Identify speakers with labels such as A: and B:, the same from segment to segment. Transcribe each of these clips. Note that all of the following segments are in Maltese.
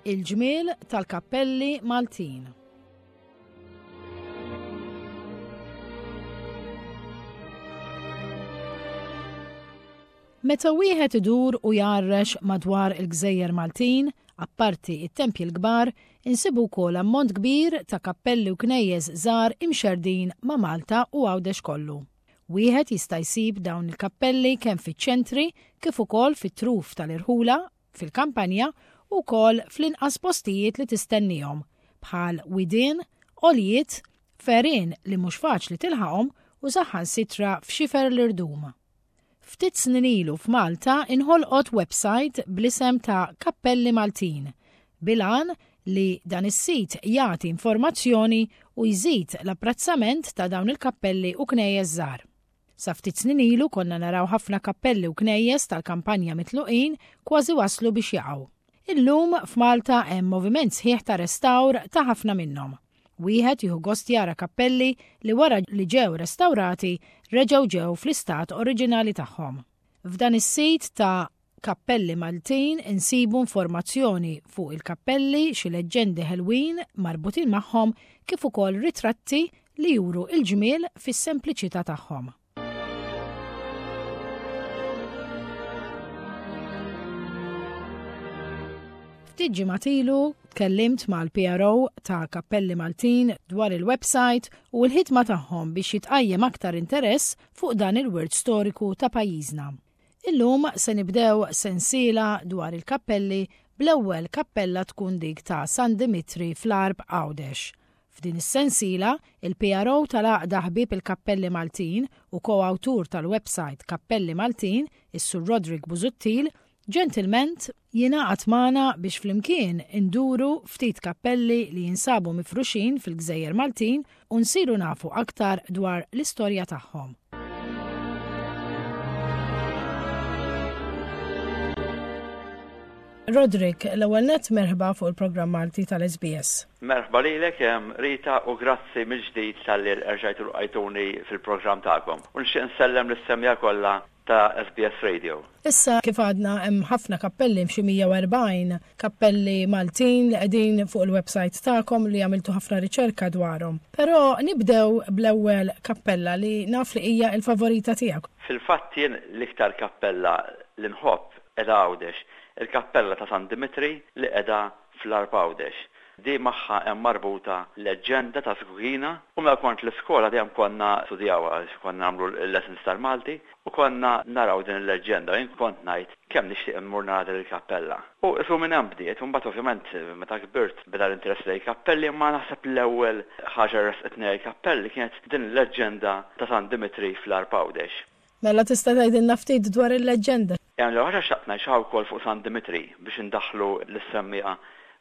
A: Il-ġmiel tal-kappelli Maltin. Meta wieħed idur u jgħarrex madwar il-gżejjer Maltin, apparti it-tempji l-kbar, insibu wkoll ammont kbir ta' kappelli u knejjes żgħar imxerrdin ma' Malta u Għawdex kollu. Wieħed jista' jsib dawn il-kappelli kemm fiċ-ċentri kif ukoll fit-truf tal-irħula, fil-kampanja u wkoll fl-inqas postijiet li tistennihom, bħal widien, għoljiet, f'għerien li mhux faċli tilħaqhom u saħansitra f'xifer l-irdum. Ftit snin ilu f'Malta inħolqot website bl-isem ta' Kappelli Maltin, bil-għan li dan is-sit jagħti informazzjoni u jżid l-apprezzament ta' dawn il-kappelli u knejjes żgħar. Sa ftit snin ilu konna naraw ħafna kappelli u knejjes tal-kampanja mitluqin kważi waslu biex jaqgħu. Illum f'Malta hemm moviment sħiħ ta' restawr ta' ħafna minnhom. Wieħed jieħu gost jara kappelli li wara li ġew restawrati reġgħu ġew fl-istat oriġinali tagħhom. F'dan is-sit ta' Kappelli Maltin insibu informazzjoni fuq il-kappelli, xi leġġendi ħelwin marbutin magħhom kif ukoll ritratti li juru l-ġmiel fis-sempliċità tagħhom. Ftit ġimgħat ilu tkellimt mal-PRO ta' Kappelli Maltin dwar il-website u l-ħidma tagħhom biex jitqajjem aktar interess fuq dan il-wirt storiku ta' pajjiżna. Illum se nibdew sensiela dwar il-kappelli bl-ewwel kappella tkun dik ta' San Dimitri fl-Għarb Għawdex. F'din is-sensiela, il-PRO tal-Għaqda Ħbieb il-Kappelli Maltin u ko-awtur tal-websajt Kappelli Maltin, is-Sur Roderick Busuttil, ġentilment jingħaqad magħna biex flimkien induru ftit kappelli li jinsabu mifruxin fil-gżejjer Maltin u nsiru nafu aktar dwar l-istorja tagħhom. Roderick, l-ewwel nett merħba fuq il-programm Malti tal-SBS.
B: Merħba lilek Rita u grazzi mill-ġdid talli erġajtu lqajtuni fil-programm tagħkom. U nixtieq insellem lis-semmiegħa kollha ta' SBS Radio.
A: Issa kif għadna hemm ħafna kappelli, xi 140 kappelli Maltin li qegħdin fuq il-website tagħkom li għamiltu ħafna riċerka dwarhom. Però nibdew bl-ewwel kappella li naf li hija l-favorita tiegħek.
B: Fil-fatt jien l-iktar kappella li nħobb qiegħda Għawdex, il-kappella ta' San Dimitri li qiegħda fl-Għarb Għawdex. Di magħha hemm marbuta leġġenda ta' Żgugina u meta kont l-iskola dejjem konna nistudjawha għax konna nagħmlu l-lessons tal-Malti u konna naraw din il-leġġenda u jien kont ngħid kemm nixtieq immur nara din il-kappella. U qisu minn hemm bdiet u mbagħad ovvjament meta kbirt beda l-interess lejn il-kappelli imma naħseb l-ewwel ħaġa li ressqitni lejn il-kappelli kienet din il-leġġenda ta' San Dimitri fl-Għarb Għawdex.
A: Mela tista' tgħidilna ftit dwar il-leġġenda?
B: L-ewwel ħaġa xtaqt ngħid xi ħaġa wkoll fuq San Dimitri biex indaħħlu lis-semmiegħa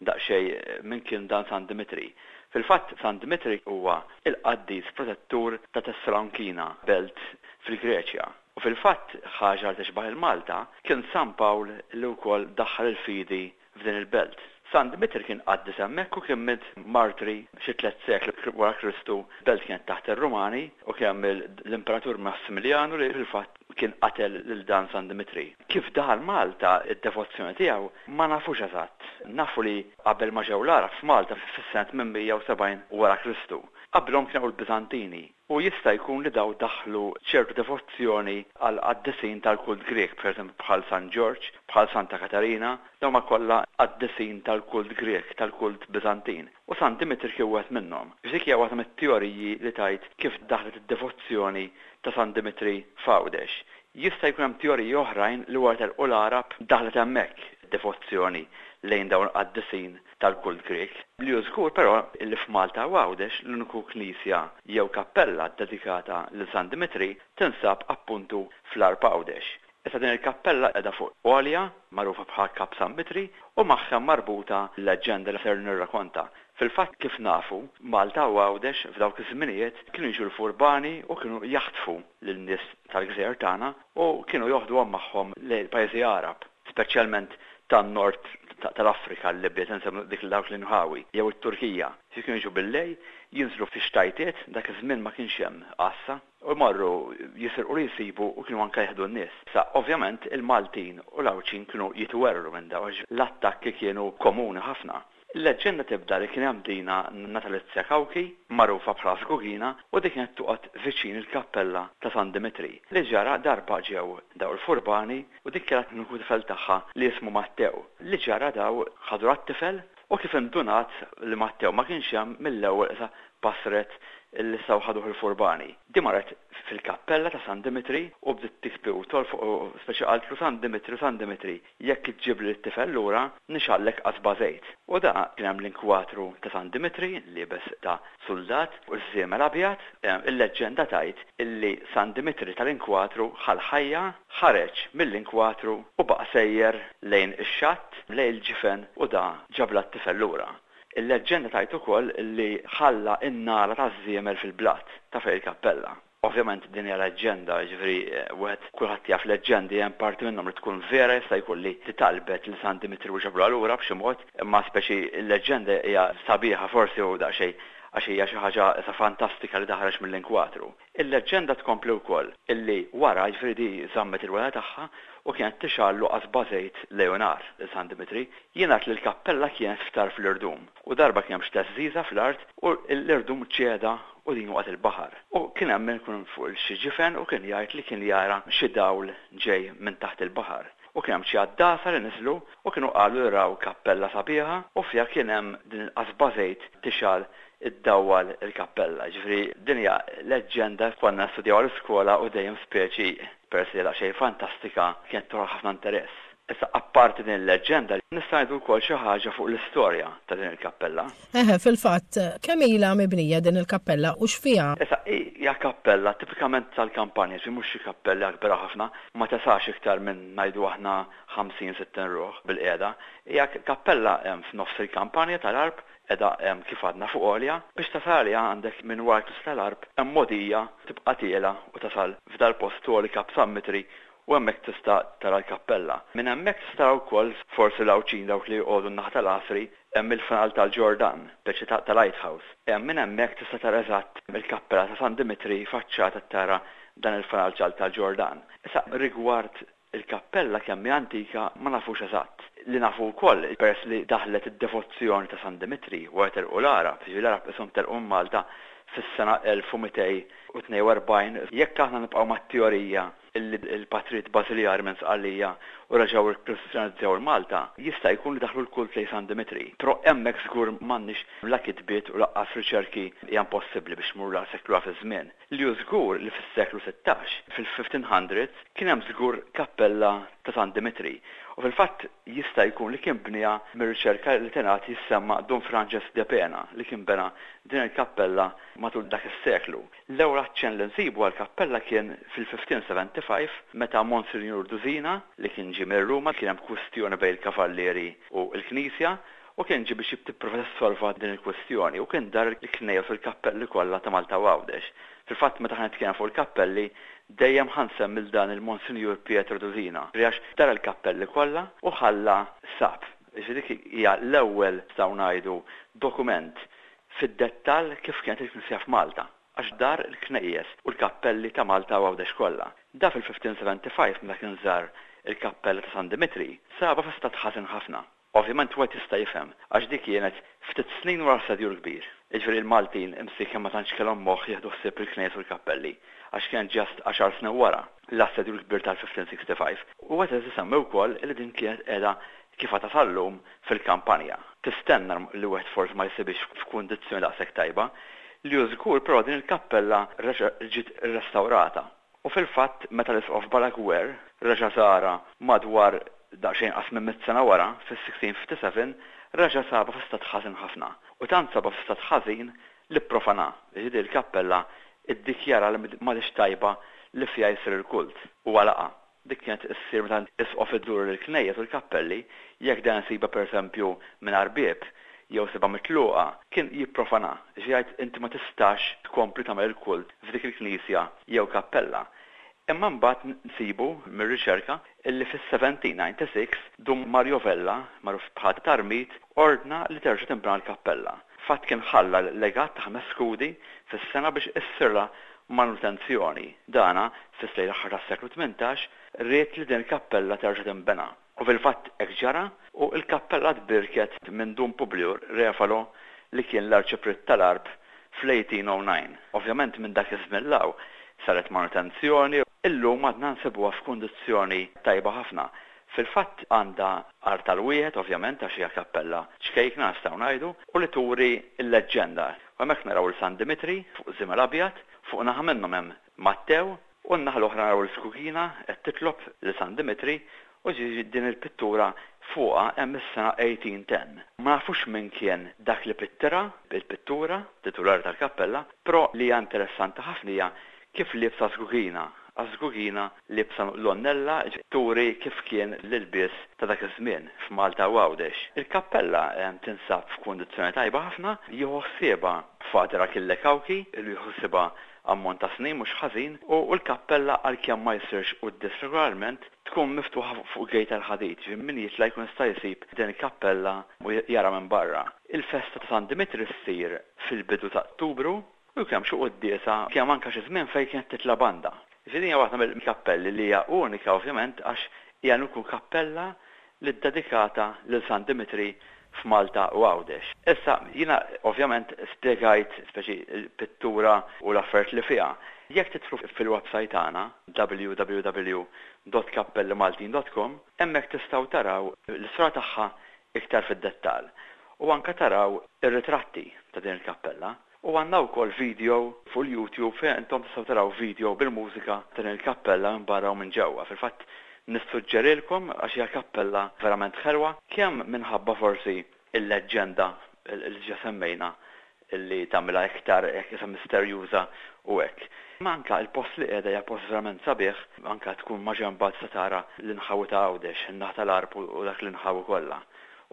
B: daqsxejn min kien dan San Dimitri. Fil-fatt San Dimitri huwa l-qaddis protettur ta' Tessalonkina, belt fil-Greċja. U fil-fatt ħaġa li tixbah il-Malta, kien San Pawl li wkoll daħħal il-fidi f'din il-belt. San Dmitri kien qaddis hemmhekk u kien miet martri xi tlett sekli wara Kristu. Belt kienet taħt ir-Rumani u kien hemm l-Imperatur Massimiljanu li fil-fatt kien qatel lil dan San Dmitri. Kif daħal Malta d-devozzjoni tiegħu ma nafux eżatt. Nafu li qabel ma ġew l-Għarab f'Malta fis-sena 870 wara Kristu, qabilhom kien hawn il-Biżantini. U jista' jkun li dawn daħħlu ċertu devozzjoni għal qaddisin tal-kult Grieg, pereżempju bħal San Ġorġ, bħal Santa Katarina, dawn huma kollha qaddisin tal-kult Grieg, tal-kult Biżantin. U San Dimitri kien wieħed minnhom. Dik hija waħda mit-teoriji li tgħid kif daħlet id-devozzjoni ta' San Dimitri f'Għawdex. Jista' jkun hemm teoriji oħrajn li wara telqu l-Għarab daħlet hemmhekk id-devozzjoni lejn dawn il-qaddisin tal-kult Grieg. Li hu żgur però li f'Malta u Għawdex l-uniku knisja jew kappella ddedikata lil San Dimitri tinsab appuntu fl-Għarb Għawdex. Issa din il-kappella qiegħda fuq għolja magħrufa bħala Kap San Mitri u magħha hemm marbuta l-leġġenda li ser nirrakonta. Fil-fatt kif nafu, Malta u Għawdex f'dawk iż-żminijiet kienu jiġu l-furbani u kienu jaħtfu lin-nies tal-gżejjer tagħna u kienu joħduhom magħhom lejn il-pajjiżi Għarab. speċjalment tan-nord tal-Afrika, l-Libja, se nsemmu dik dawk l-inħawi, jew it-Turkija. Fi kienu jiġu billejl, jinżlu fi xtajtiet, dak iż-żmien ma kienx hemm għassa. U jmorru jisirqu li jsibu u kienu anke jieħdu n-nies. Sa ovvjament il-Maltin u l-Għawdxin kienu jitwerwru minn dawn għax l-attakki kienu komuni ħafna. Il-leġġenda tibda li kien hemm dina Natalizia Cauchi, magħrufa bħala Żgugina, u din kienet toqgħod viċin il-kappella ta' San Dimitri. Li ġara darba ġew daw il-furbani u dik kellha tieħu tifel tagħha li jismu Mattew. Li ġara daw ħadu rat-tifel u kif indunat li Mattew ma kienx hemm mill-ewwel qisha basret li setgħu ħaduh il-furbani. Di marret fil-kappella ta' San Dimitri u bdiet tibki u tolfoq u speċi qaltlu San Dimitri, San Dimitri, jekk iġġibli lit-tifel lura, nixgħallek qasba żejt. U da kien hemm l-inkwatru ta' San Dimitri, liebes ta' suldat u ż-żiemel abjad. Il-leġġenda tgħid illi San Dimitri tal-inkwatru ħa l-ħajja, ħareġ mill-inkwatru u baqa' sejjer lejn ix-xatt, lejn il-ġifen u da ġablha t-tifel lura. Il-leġġenda tgħid ukoll li ħalla n-nagħla taż-żiemel fil-blat ta' fejn il-kappella. Ovvjament din hija leġġenda, jiġifieri wieħed kulħadd jaf leġġendi hemm parti minnhom li tkun vera jista' jkun li talbet lil San Dimitri u ġabluha lura b'xi mod, imma speċi l-leġġenda hija sabiħa forsi u daqsxejn għax hija xi ħaġa issa fantastika li taħreġ mill-inkwatru. Il-leġġenda tkompli wkoll illi wara, jiġifieri di żammet il-wegħda tagħha u kienet tixgħallu qasba żejt lejl u nhar lil San Dimitri. Jingħad li l-kappella kienet f'tarf l-irdum u darba kien hemm xi theżżiża fl-art u l-irdum ċeda u din waqgħet il-baħar. U kien hemm min ikun fuq xi ġifen u kien jgħid li kien jara xi dawl ġej minn taħt il-baħar. U kien hemm xi għaddasa li niżlu u kienu qalu li raw kappella sabiħa u fiha kien hemm din il-qasba żejt tixgħal iddawwal il-kappella. Jiġifieri din hija leġġenda konna nistudjawha l-iskola u dejjem speċi peress li hija daqsxejn fantastika kienet toħloq ħafna interess. Issa apparti din il-leġġenda nista' ngħidu wkoll xi ħaġa fuq l-istorja ta' din il-kappella.
A: Eħe, fil-fatt, kemm ilha mibnija din il-kappella u x'fiha?
B: Issa, hija kappella tipikament tal-kampanja, jiġifieri mhux xi kappella kbira ħafna, ma tesax iktar minn ngħidu aħna 50, 60 ruħ bilqiegħda. Hija kappella f'nofs il-kampanja tal-Għarb, Qiegħda hemm kif għadna fuq għolja. Biex tasal għaliha għandek minn wara l-Knisja tal-Għarb hemm mogħdija tibqa' tiela' u tasal f'dal-post għoli Kap San Mitri u hemmhekk tista' tara l-kappella. Minn hemmhekk tista' tara wkoll forsi l-Għawdxin dawk li joqogħdu n-naħa tal-Għasri hemm il-fanal tal-Ġordan, speċi ta' lighthouse. Minn hemmhekk tista' tara eżatt il-kappella ta' San Dimitri faċċata tara dan il-fanal tal-Ġordan. Issa rigward Il-kappella kemm hi antika ma nafux eżatt. Li nafu wkoll, peress li daħlet id-devozzjoni ta' San Dimitri wara telqu l-Għarab, jiġifieri l-Għarab qishom telqu minn Malta fis-sena 1242, jekk aħna nibqgħu mat-teorija li l-patrijiet Bażiljari minn Sqallija u reġgħu rkristjanizzaw il-Malta, jista' jkun li daħlu l-kult lejn San Dimitri. Però hemmhekk żgur m'għandniex la kitbiet u lanqas riċerki, hija impossibbli biex tmur daqshekk lura fiż-żmien. Li hu żgur li fis-seklu 16, fil-1500s, kien hemm żgur kappella ta' San Dimitri. U fil-fatt jista' jkun li kien bniha mir-riċerka li tingħad jissemma Dun Franġesk de Pena li kien bena din il-kappella matul dak is-seklu. L-ewwel aċċenn li nsibu għall-kappella kien fil-1575 meta Monsinjur Dusina li kien ġie minn Ruma kien hemm kwistjoni bejn il-kavallieri u l-knisja u kien ġie biex jipprova jissolva din il-kwistjoni u kien dar il-knejjes u l-kappelli kollha ta' Malta u Għawdex. Fil-fatt meta ħa nitkellem fuq il-kappelli dejjem ħa nsemmi 'l dan il-Monsinjur Pietro Dusina għax dar il-kappelli kollha u ħalla sab. Jiġifieri dik hija l-ewwel nistgħu ngħidu dokument fid-dettall kif kienet il-knisja f'Malta għax dar il-knejjes u l-kappelli ta' Malta u Għawdex kollha. Da fil-1575 meta kien żar il-kappella ta' San Dimitri sabha fi stat ħażin ħafna. Ovvjament wieħed jista' jifhem, għax dik kienet ftit snin wara l-Assedju l-Kbir. Jiġifieri l-Maltin imsieken ma tantx kellhom moħħ jieħdu ħsieb il-knejjes u l-kappelli, għax kienet just għaxar snin wara l-Assedju l-Kbir tal-1565. U wieħed irid isemmi wkoll li din kienet qiegħda kif għadha sal-lum fil-kampanja. Tistenna li wieħed forsi ma jsibhiex f'kundizzjoni daqshekk tajba. Li hu żgur però din il-kappella reġa' ġiet irrestawrata. U fil-fatt meta l-Isqof Balaguer reġa' żarha madwar daqsxejn inqas minn mitt sena wara, fis-1657, reġa' sabha fi stat ħażin ħafna. U tant sabha fi stat ħażin li pprofanha, jiġifieri l-kappella iddikjara li m'għadhiex tajba li fiha jsir il-kult, u għalaqha. Dik kienet issir meta isqof idur il-knejjes u l-kappelli, jekk dan isibha pereżempju mingħajr bieb, jew sibha mitluqa, kien jipprofanha, jiġifieri jgħid inti ma tistax tkompli tagħmel il-kult f'dik il-knisja jew kappella. Imma mbagħad nsibu mir-riċerka illi fis-1796 Dun Mario Vella, magħruf bħala Tarmit, ordna li terġa' tinbena l-kappella. Fatt kien ħalla legat ta' ħames skudi fis-sena biex issirlha manutenzjoni. Dana, fis-lejn l-aħħar tas-seklu 18, ried li din il-kappella terġa' tinbena. U fil-fatt hekk ġara u l-kappella tbierket minn Dun Publiju Refalo li kien l-Arċipriet tal-Għarb fl-1809. Ovvjament minn dak iż-żmien 'l hawn saret manutenzjoni. Illum għadna nsibuha f'kundizzjoni tajba ħafna. Fil-fatt għandha artal wieħed ovvjament għax hija kappella ċkejkna nistgħu ngħidu u li turi l-leġġenda. U hemmhekk naraw 'l San Dimitri fuq żiemel abjad, fuq naħa minnhom hemm Mattew u n-naħa l-oħra naraw 'l Skugina qed titlob lil San Dimitri u ġifieri din il-pittura fuqha hemm is-sena 1810. Ma nafux min kien dak li pittirha, il-pittura, titulari tal-kappella, però li hija interessanti ħafna hija kif liebsa Skugina, għax Skugina liebsa l-għonnella turi kif kien l-ilbies ta' dak iż-żmien f'Malta u Għawdex. Il-kappella tinsab f'kundizzjoni tajba ħafna, jieħu ħsiebha Father Achille Cauchi, ilu jieħu ħsiebha ammont ta' snin mhux ħażin, u l-kappella għalkemm ma jsirx quddies regolarment, tkun miftuħa fuq gate tal-ħadid, ġifieri min jitla' jkun jista' jsib din il-kappella u jara minn barra. Il-festa ta' San Dimitri ssir fil-bidu ta' Ottubru u jkun hemm xi quddiesa, kien hemm anke xi żmien fejn kienet titla' banda. Ġifieri din hija waħda mill-kappelli li hija unika ovvjament għax hija l-uniku kappella li ddedikata lil San Dimitri f'Malta u Għawdex. Issa, jiena ovvjament spjegajt speċi l-pittura u l-affarijiet li fiha. Jekk tidħlu fil-website tagħna, www.kappellimaltin.com, hemmhekk tistgħu taraw l-istorja tagħha iktar fid-dettall u anke taraw ir-ritratti ta' din il-kappella. U għandna wkoll video fuq il-YouTube fejn intom tistgħu taraw video bil-mużika ta' din il-kappella minn barra u minn ġewwa. Fil-fatt nissuġġerilkom għax hija kappella verament ħelwa, kemm minħabba forsi l-leġġenda li diġà semmejna li tagħmilha iktar hekk qisha misterjuża u hekk. Imma anke l-post li qiegħda hija post verament sabiħ, anke tkun maġenbha tista' tara l-inħawi ta' Għawdex, in-naħa tal-Għarb u dak l-inħawi kollha.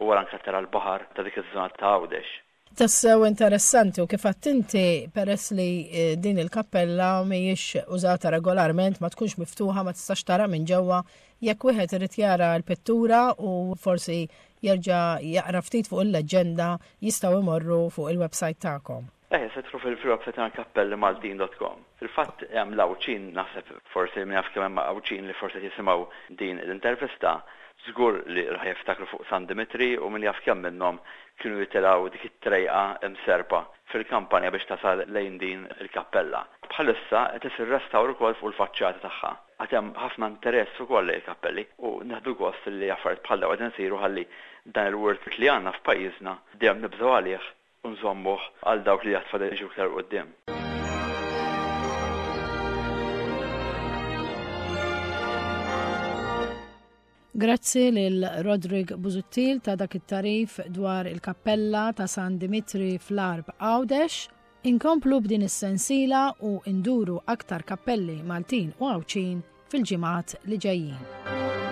B: U wara anke tara l-baħar ta' dik iż-żona ta' Għawdex.
A: Tassew interessanti u kif għedt inti peress li eh, din il-kappella mhijiex użata regolarment, ma tkunx miftuħa, ma tistax tara minn ġewwa, jekk wieħed irid jara l-pittura u forsi jerġa' jaqra ftit fuq il-leġġenda, jistgħu jmorru fuq il-website tagħkom.
B: Eh, se tidħlu fil-website tagħna kappellimaltin.com. Fil-fatt hemm l-Għawdxin naħseb forsi min jaf kemm hemm Għawdxin li forsi qed jisimgħu din l-intervista, żgur li ħa jiftakru fuq San Dimitri u min jaf kemm minnhom kienu jitilgħu dik it-trejqa mserrpa fil-kampanja biex tasal lejn din il-kappella. Bħalissa qed isir restawr ukoll fuq il-faċċata tagħha. Għad hemm ħafna interess ukoll lejn il-kappelli u nieħdu gost li affarijiet bħal dawn qegħdin isiru ħalli dan il-wirt li għandna f'pajjiżna dejjem nibżgħu għalih u nżommuh għal dawk li għad fadal jiġu iktar 'il quddiem.
A: Grazzi lil Roderick Busuttil ta' dak it-tagħrif dwar il-kappella ta' San Dimitri fl-Għarb Għawdex. Inkomplu b'din is-sensiela u nduru aktar kappelli Maltin u Għawdxin fil-ġimgħat li ġejjin.